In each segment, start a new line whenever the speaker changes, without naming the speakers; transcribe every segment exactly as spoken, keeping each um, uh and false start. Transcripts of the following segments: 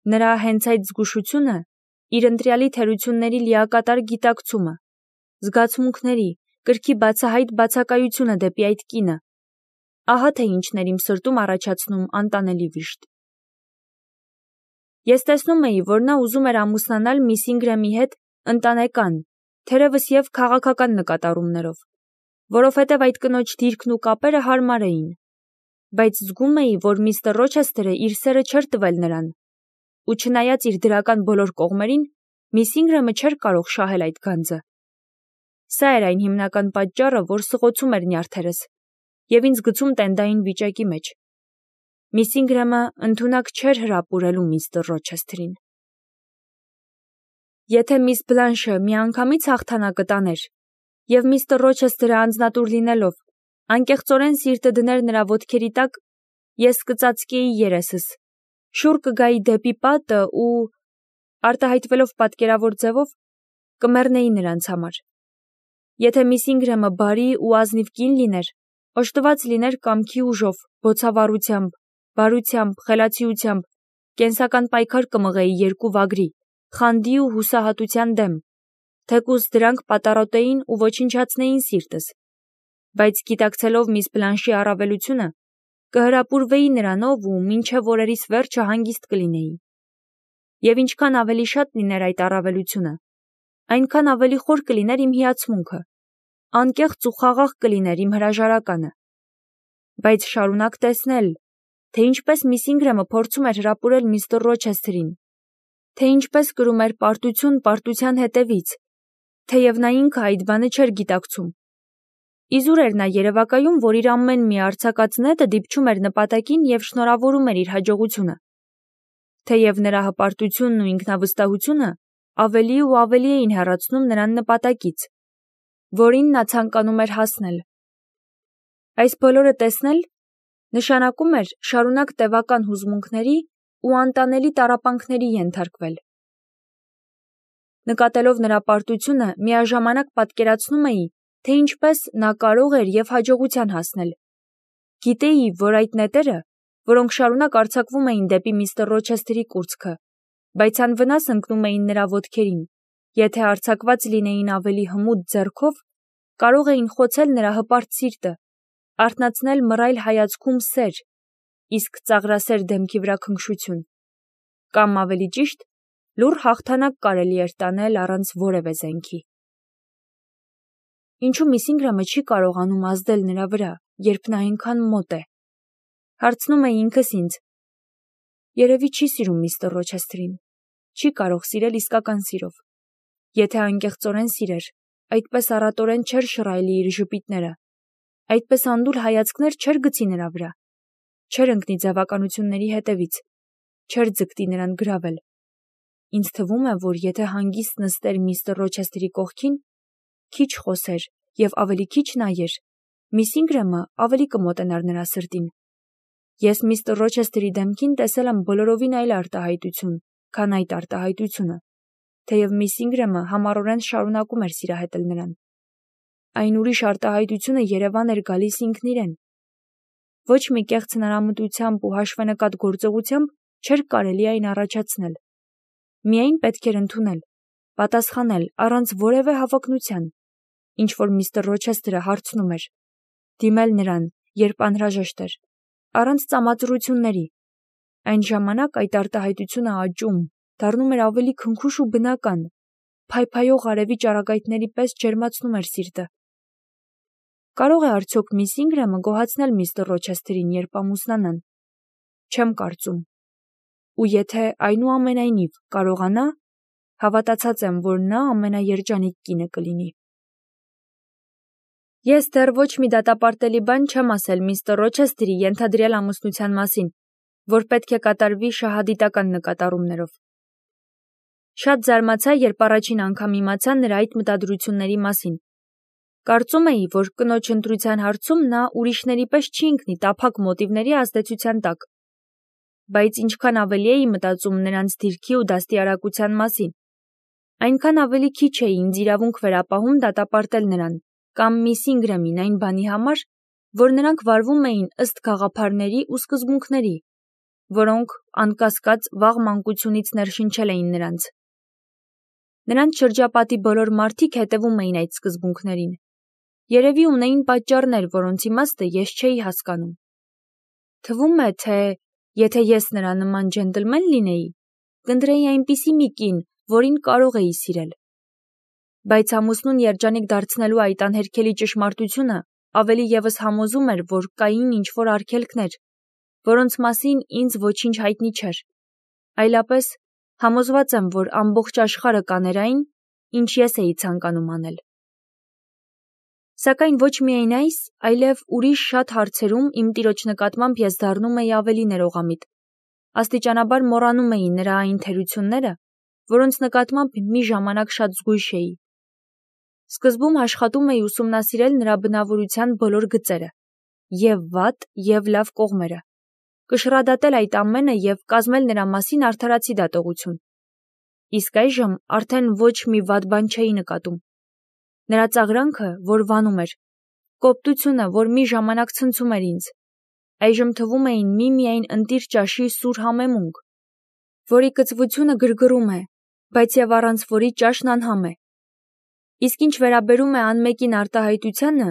Նրա հենց այդ զգուշությունը, իր ընտրյալի թերությունների լիակատար գիտակցումը, զգացմունքների, կրքի բացահայտ բացակայությունը դեպի այդ կինը, ահա թե ինչն էր իմ սրտում առաջացնում անտանելի վիշտ։ Ես տեսնում էի, որ նա ուզում էր ամուսնանալ միս Ինգրեմի հետ ընտանեկան, թերևս և քաղաքական նկատառումներով, որովհետև այդ կնոջ դիրքն ու կապերը հարմար էին, բայց զգում էի, որ միստր Ռոչեսթերը իր սերը չէր տվել նրան, ու չնայած իր դրական բոլոր կողմերին, միս Ինգրեմը չէր կարող շահել այդ գանձը։ Սա էր այն հիմնական պատճառը, որ սղոցում էր նյարդերս և ինձ գցում տենդային վիճակի մեջ։ Միս Ինգրեմը ընդունակ չէր հրապուրելու միստր Ռոչեսթերին։ Եթե միս Բլանշը միանգամից հաղթանակը տաներ, և միստր Ռոչեսթերը անձնատուր լինելով, անկեղծորեն սիրտը դներ նրա ոտքերի տակ, ես կծածկեի երեսս, շուռ կգայի դեպի պատը ու, արտահայտվելով պատկերավոր ձևով, կմեռնեի նրանց համար։ Եթե միս Ինգրեմը բարի ու ազնիվ կին լիներ, օժտված լիներ կամքի ուժով, բոցավառությամբ, բարությամբ, խելացիությամբ, կենսական պայքար կմղեի երկու վագրի, խանդի ու հուսահատության դեմ, թեկուզ դրանք պատառոտեին ու ոչնչացնեին սիրտս, բայց գիտակցելով միս Բլանշի առավելությունը, կհրապուրվեի նրանով ու մինչև օրերիս վերջը հանգիստ կլինեի։ Եվ ինչքան ավելի շատ լիներ այդ առավելությունը, այնքան ավելի խոր կլիներ իմ հիացմունքը, անկեղծ ու խաղաղ կլիներ իմ հրաժարականը։ Բայց շարունակ տեսնել, թե ինչպես միս Ինգրեմը փորձում էր հրապուրել միստր Ռոչեսթերին, թե ինչպես կրում էր պարտություն պարտության հետևից, թեև նա ինքը այդ բանը չէր գիտակցում։ Իզուր էր նա երևակայում, որ իր ամեն մի արձակած նետը դիպչում էր նպատակին և շնորհավորում էր իր հաջողությունը, թեև նրա հպարտությունն ու ինքնավստահությունը ավելի ու ավելի էին հեռացնում նրան նպատակից, որին նա ցանկանում էր հասնել։ Այս բոլորը տեսնել նշանակում էր շարունակ տևական հուզմունքների ու անտանելի տառապանքների ենթարկվել։ Նկատելով նրա պարտությունը, միաժամանակ պատկերացնում էի, թե ինչպես նա կարող էր և հաջողության հասնել։ Գիտեի, որ այդ նետերը, որոնք շարունակ արձակվում էին դեպի միստր Ռոչեսթերի կուրծքը, բայց անվնաս ընկնում էին նրա ոտքերին, եթե արձակված լինեին ավելի հմուտ ձեռքով, կարող էին խոցել նրա հպարտ սիրտը, արթնացնել մռայլ հայացքում սեր, իսկ ծաղրասեր դեմքի վրա քնքշություն, կամ ավելի ճիշտ, լուռ հաղթանակ կարելի էր տանել առանց որևէ զենքի։ Ինչու միս Ինգրեմը չի կարողանում ազդել նրա վրա, երբ նա այնքան մոտ է։ Հարցնում էի ինքս ինձ։ Երևի չի սիրում միստր Ռոչեսթերին, չի կարող սիրել իսկական սիրով։ Եթե անկեղծորեն սիրեր, այդպես առատորեն չէր շռայլի իր ժպիտները, այդպես անդուր հայացքներ չէր գցի նրա վրա, չէր ընկնի ձևականությունների հետևից, չէր ձգտի նրան գրավել։ Ինձ թվում է, որ եթե հանգիստ նստեր միստր Ռոչեսթերի կողքին, քիչ խոսեր և ավելի քիչ նայեր, միս Ինգրեմը ավելի կմոտենար նրա սրտին։ Ես միստր Ռոչեսթերի դեմքին տեսել եմ բոլորովին այլ արտահայտություն, քան այդ արտահայտությունը, թեև միս Ինգրեմը համառորեն շարունակում էր սիրահետել նրան։ Այն ուրիշ արտահայտությունը Երևան էր գալիս ինքն իրեն։ Ոչ մի կեղծ հնարամտությամբ ու հաշվենկատ գործողությամբ չէր կարելի այն առաջացնել։ Միայն պետք էր ընդունել, պատասխանել առանց որևէ հավակնության, ինչ որ միստր Ռոչեսթերը հարցնում էր, դիմել նրան, երբ անհրաժեշտ էր, առանց ծամածռությունների։ Այն ժամանակ այդ արտահայտությունը աճում, դառնում էր ավելի քնքուշ ու բնական, փայփայող արևի ճառագայթների պես ջերմացնում էր սիրտը։ Կարող է արդյոք միս Ինգրեմը գոհացնել միստր Ռոչեսթերին, երբ ամուսնանան։ Չեմ կարծում։ Ու եթե այնուամենայնիվ կարողանա, հավատացած եմ, որ նա ամենաերջանիկ կինը կլինի։ Ես դեռ ոչ մի դատապարտելի բան չեմ ասել միստր Ռոչեսթերի ենթադրյալ ամուսնության մասին, որ պետք է կատարվի շահադիտական նկատառումներով։ Շատ զարմացա, երբ առաջին անգամ իմացա նրա այդ մտադրությունների մասին։ Կարծում էի, որ կնոջ ընտրության հարցում նա ուրիշների պես չի ընկնի տափակ մոտիվների ազդեցության տակ։ Բայց ինչքան ավելի էի մտածում նրանց դիրքի ու դաստիարակության մասին, այնքան ավելի քիչ էի ինձ իրավունք վերապահում դատապարտել նրան կամ միս Ինգրեմին այն բանի համար, որ նրանք վարվում էին ըստ գաղափարների ու սկզբունքների, որոնք անկասկած վաղ մանկությունից ներշնչել էին նրանց։ Նրանց շրջապատի բոլոր մարդիկ հետևում էին այդ սկզբունքներին։ Երևի ունեին պատճառներ, որոնց իմաստը ես չէի հասկանում։ Թվում է, թե եթե ես նրա նման ջենտլմեն լինեի, կընտրեի այնպիսի մի կին, որին կարող էի սիրել։ Բայց ամուսնուն երջանիկ դարձնելու այդ անհերքելի ճշմարտությունը ավելի ևս համոզում էր, որ կային ինչ-որ արգելքներ, որոնց մասին ինձ ոչինչ հայտնի չէր։ Այլապես համոզված եմ, որ ամբողջ աշխարհը կաներ այն, ինչ ես էի ցանկանում անել։ Սակայն ոչ միայն այս, այլև ուրիշ շատ հարցերում իմ տիրոջ նկատմամբ ես դառնում էի ավելի ներողամիտ։ Աստիճանաբար մոռանում էի նրա այն թերությունները, որոնց նկատմամբ մի ժամանակ շատ զգույշ էի։ Սկզբում աշխատում էի ուսումնասիրել նրա բնավորության բոլոր գծերը, և վատ, և լավ կողմերը, կշռադատել այդ ամենը և կազմել նրա մասին արդարացի դատողություն։ Իսկ այժմ արդեն ոչ մի վատ բան չէի նկատում։ Նրա ծաղրանքը, որ վանում էր, կոպտությունը, որ մի ժամանակ ցնցում էր ինձ, այժմ թվում էին միմիայն ընտիր ճաշի սուր համեմունք, որի կծվությունը գրգռում է, բայց և առանց որի ճաշն անհամ է։ Իսկ ինչ վերաբերում է անմեկին արտահայտությանը,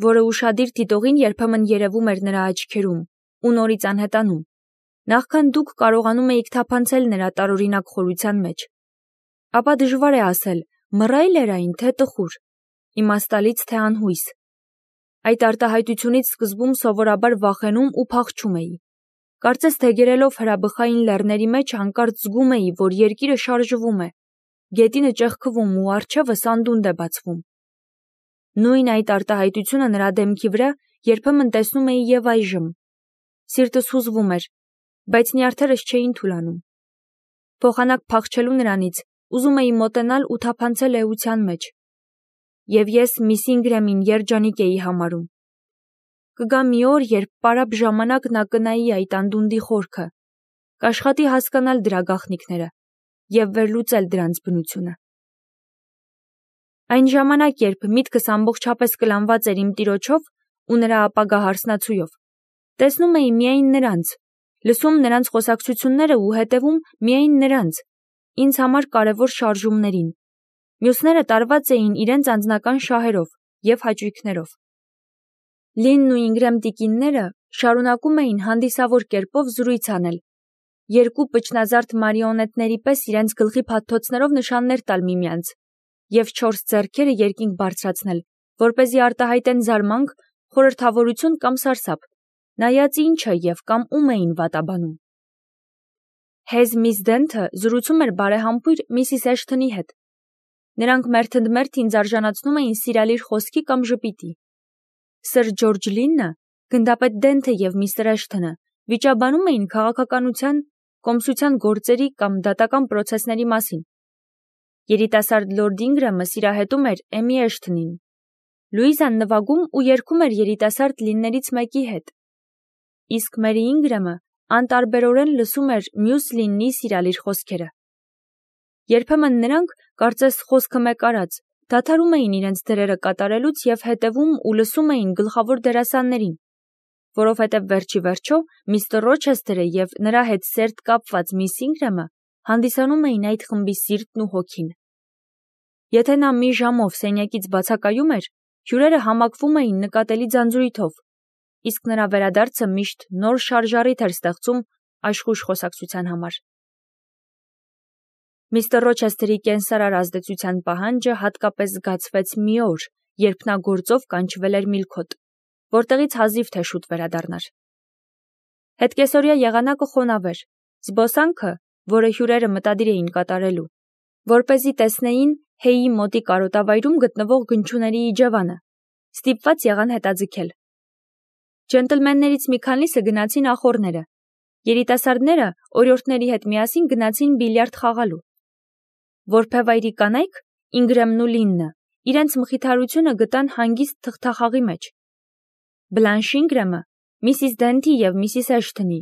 որը ուշադիր դիտողին երբեմն երևում էր նրա աչքերում ու նորից անհետանում, նախքան դուք կարողանում էիք թափանցել նրա տարօրինակ խորության մեջ, ապա դժվար է ասել, մռայլ էր այն, թե տխուր, իմաստալից, թե անհույս։ Այդ արտահայտությունից սկզբում սովորաբար վախենում ու փախչում էի։ Կարծես թե գերելով հրաբխային լեռների մեջ հանկարծ զգում էի, որ երկիրը շարժվում է, գետինը ճեղքվում ու առջևը սանդունդ է բացվում։ Նույն այդ արտահայտությունը նրա դեմքի վրա երբեմն տեսնում էի և այժմ։ Սիրտս հուզվում էր, բայց նյարդերս չէին թուլանում։ Փոխանակ փախչելու նրանից, ուզում էի մոտենալ ու թափանցել էության մեջ։ Եվ ես միս Ինգրեմին երջանիկ էի համարում։ Կգա մի օր, երբ պարապ ժամանակ նա կնայի այդ անդունդի խորքը, կաշխատի հասկանալ դրա գաղտնիքները և վերլուծել դրանց բնությունը։ Այն ժամանակ, երբ միտքս ամբողջապես կլանված էր իմ տիրոջով ու նրա ապագա հարսնացույով, տեսնում էի միայն նրանց, լսում նրանց խոսակցությունները ու հետևում միայն նրանց, ինձ համար կարևոր շարժումներին։ Մյուսները տարված էին իրենց անձնական շահերով և հաճույքներով։ Լինն ու Ինգրեմ տիկինները շարունակում էին հանդիսավոր կերպով զրույց անել, երկու պճնազարդ մարիոնետների պես իրենց գլխի փաթթոցներով նշաններ տալ միմյանց և չորս ձեռքերը երկինք բարձրացնել, որպեսզի արտահայտեն զարմանք, խորհրդավորություն կամ սարսափ, նայած ինչը և կամ ում էին վատաբանում։ Հեզ միս Դենթը զրուցում էր բարեհամբույր միսիս Էշթոնի հետ։ Նրանք մերթընդմերթ ինձ արժանացնում էին սիրալիր խոսքի կամ ժպիտի։ Սըր Ջորջ Լինը, գնդապետ Դենթը և միստր Էշթոնը վիճաբանում էին քաղաքականության, կոմսության գործերի կամ դատական պրոցեսների մասին։ Երիտասարդ լորդ Ինգրեմը սիրահետում էր Էմի Էշթոնին։ Լուիզան նվագում ու երգում էր երիտասարդ լիններից մեկի հետ։ Իսկ Մերի Ինգրեմը անտարբերորեն լսում էր մյուս լինի սիրալիր խոսքերը։ Երբեմն նրանք, կարծես խոսքը մեկ արած, դադարում էին իրենց դերերը կատարելուց և հետևում ու լսում էին գլխավոր դերասաններին, որովհետև վերջի վերջո միստր Ռոչեսթերը և նրա հետ սերտ կապված միս Ինգրեմը հանդիսանում էին այդ խմբի սիրտն ու հոգին։ Եթե նա մի ժամով սենյակից բացակայում էր, հյուրերը համակվում էին նկատելի ձանձրույթով, իսկ նրա վերադարձը միշտ նոր շարժառիթ էր ստեղծում աշխույժ խոսակցության համար։ Միստր Ռոչեսթերի կենսարար ազդեցության պահանջը հատկապես զգացվեց մի օր, երբ նա գործով կանչվել էր Միլքոտ, որտեղից հազիվ թե շուտ վերադառնար։ Հետկեսօրյա եղանակը խոնավ էր, զբոսանքը, որը հյուրերը մտադիր էին կատարելու, որպեսզի տեսնեին Հեյի մոտի կարոտավայրում գտնվող գնչուների իջևանը, ստիպված եղան հետաձգել։ Ջենտլմեններից մի քանիսը գնացին ախոռները, երիտասարդները օրիորդների հետ միասին գնացին բիլիարդ խաղալու։ Որբևայրի կանայք, Ինգրեմն ու Լիննը, իրենց մխիթարությունը գտան հանգիստ թղթախաղի մեջ։ Բլանշ Ինգրեմը, միսիս Դենթի և միսիս Էշթոնի,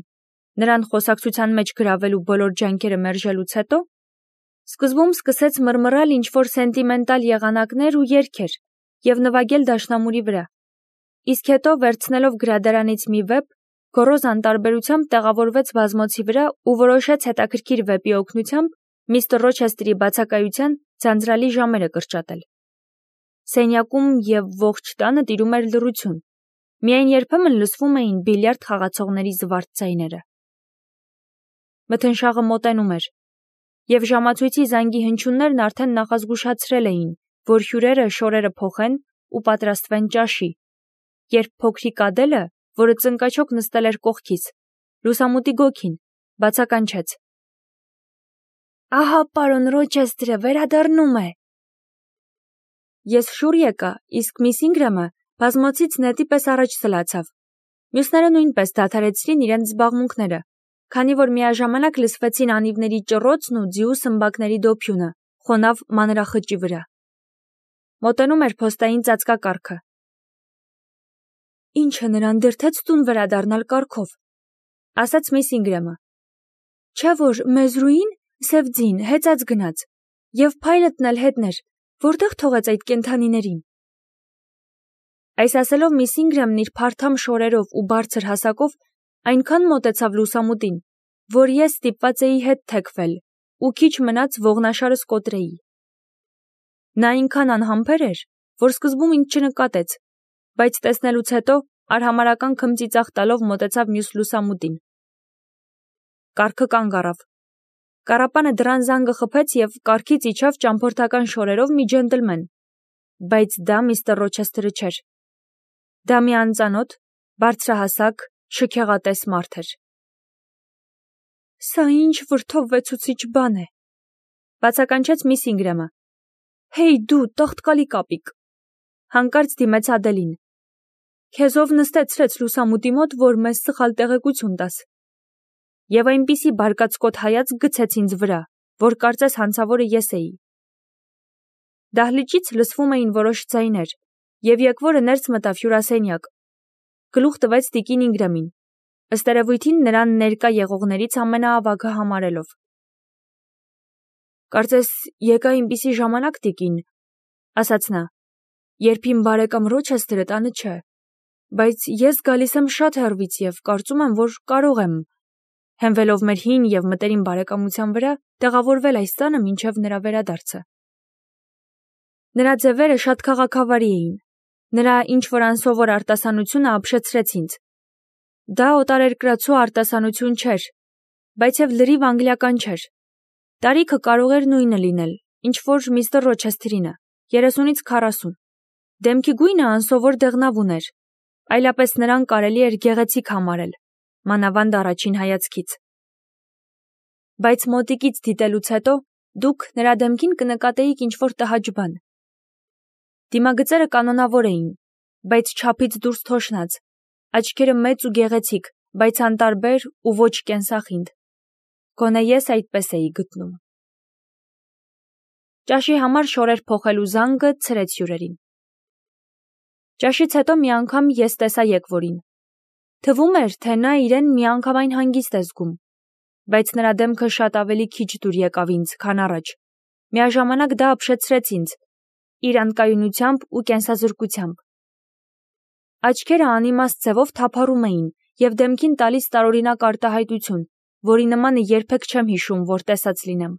նրան խոսակցության մեջ գրավելու բոլոր ջանքերը մերժելուց հետո, սկզբում սկսեց մռմռալ ինչ-որ սենտիմենտալ եղանակներ ու երգեր և նվագել դաշնամուրի վրա, իսկ հետո վերցնելով գրադարանից մի վեպ, Գոռոզան տարբերությամբ տեղավորվեց բազմոցի վրա ու որոշեց հետաքրքիր վեպի օգնությամբ միստր Ռոչեսթերի բացակայության ձանձրալի ժամերը կրճատել։ Սենյակում և ողջ տանը տիրում էր լռություն, միայն երբեմն լսվում էին բիլիարդ խաղացողների զվարթ ձայները։ Մթնշաղը մոտենում էր, և ժամացույցի զանգի հնչյուններն արդեն նախազգուշացրել էին, որ հյուրերը շորերը փոխեն ու պատրաստվեն ճաշի, երբ փոքրիկ Ադելը, որը ծնկաչոք նստել էր կողքից, լուսամուտի գոգին, բացականչեց. «Ահա պարոն Ռոչեսթերը վերադառնում է»։ Ես շուռ եկա, իսկ միս Ինգրամը բազմոցից նետի պես առաջ սլացավ։ Մյուսները նույնպես դադարեցրին իրենց զբաղմունքները, քանի որ միաժամանակ լսվեցին անիվների ճռոցն ու ձիու սմբակների դոփյունը խոնավ մանրախճի վրա։ Մոտենում էր փոստային ծածկակառքը։ «Ինչը նրան դրդեց տուն վերադառնալ կառքով», ասաց միս Ինգրամը։ «Չէ՞ որ մեզրուին, սև ձին, հեծած գնաց, և փայլտն էլ հետներ, որտե՞ղ թողեց այդ կենդանիներին»։ Այս ասելով միս Ինգրամն իր փարթամ շորերով ու բարձր հասակով այնքան մոտեցավ լուսամուտին, որ ես ստիպված էի հետ թեքվել ու քիչ մնաց ողնաշարս կոտրեի։ Նա այնքան անհամբեր էր, որ սկզբում ինձ չնկատեց, բայց տեսնելուց հետո արհամարհական քմծիծաղ տալով մոտեցավ մյուս լուսամուտին։ Կառքը կանգ առավ։ Կառապանը դռան զանգը խփեց և կառքից իջավ ճամփորդական շորերով մի ջենտլմեն, բայց դա միստր Ռոչեսթերը չէր։ Դա մի անծանոթ, բարձրահասակ, շքեղատես մարդ էր։ «Սա ինչ վրդովվեցուցիչ բան է», բացականչեց միս Ինգրամը։ «Հեյ դու, տաղտկալի կապիկ», հանկարծ դիմեց Ադելին։ «Քեզով նստեցրեց լուսամուտի մոտ, որ մեզ սխալ տեղեկություն տաս»։ Եվ այնպիսի բարկացկոտ հայացք գցեց ինձ վրա, որ կարծես հանցավորը ես էի։ Դահլիճից լսվում էին որոշ ձայներ, և եկվորը ներս մտավ հյուրասենյակ։ Գլուխ տվեց տիկին Ինգրամին, ըստ երևույթին նրան ներկա եղողներից ամենաավագը համարելով։ «Կարծես եկա այնպիսի ժամանակ, տիկին», ասաց նա, «երբ իմ բարեկամ Ռոչեսթերը տանը չէ, բայց ես գալիս եմ շատ հեռվից և կարծում եմ, որ կարող եմ, հենվելով մեր հին և մտերիմ բարեկամության վրա, տեղավորվել այս տանը մինչև նրա վերադարձը»։ Նրա ձևերը շատ քաղաքավարի էին, նրա ինչ-որ անսովոր արտասանությունը ապշեցրեց ինձ։ Դա օտարերկրացու արտասանություն չէր, բայց և լրիվ անգլիական չէր։ Տարիքը կարող էր նույնը լինել, ինչ որ միստր Ռոչեսթերինը, երեսունից քառասուն։ Դեմքի գույնը անսովոր դեղնավ ուներ, այլապես նրան կարելի էր գեղեցիկ համարել, մանավանդ առաջին հայացքից։ Բայց մոտիկից դիտելուց հետո դուք նրա դեմքին կնկատեիք ինչ-որ տհաճ բան։ Դիմագծերը կանոնավոր էին, բայց չափից դուրս թոշնած, աչքերը մեծ ու գեղեցիկ, բայց անտարբեր ու ոչ կենսախինդ։ Գոնե ես այդպես էի գտնում։ Ճաշի համար շորեր փոխելու զանգը ցրեց հյուրերին։ Ճաշից հետո մի անգամ ես տեսա եկվորին։ Թվում էր, թե նա իրեն միանգամայն հանգիստ է զգում, բայց նրա դեմքը շատ ավելի քիչ դուր եկավ ինձ, քան առաջ։ Միաժամանակ դա ապշեցրեց ինձ իր անկայունությամբ ու կենսազրկությամբ։ Աչքերը անիմաստ ձևով թափառում էին և դեմքին տալիս տարօրինակ արտահայտություն, որի նմանը երբեք չեմ հիշում, որ տեսած լինեմ։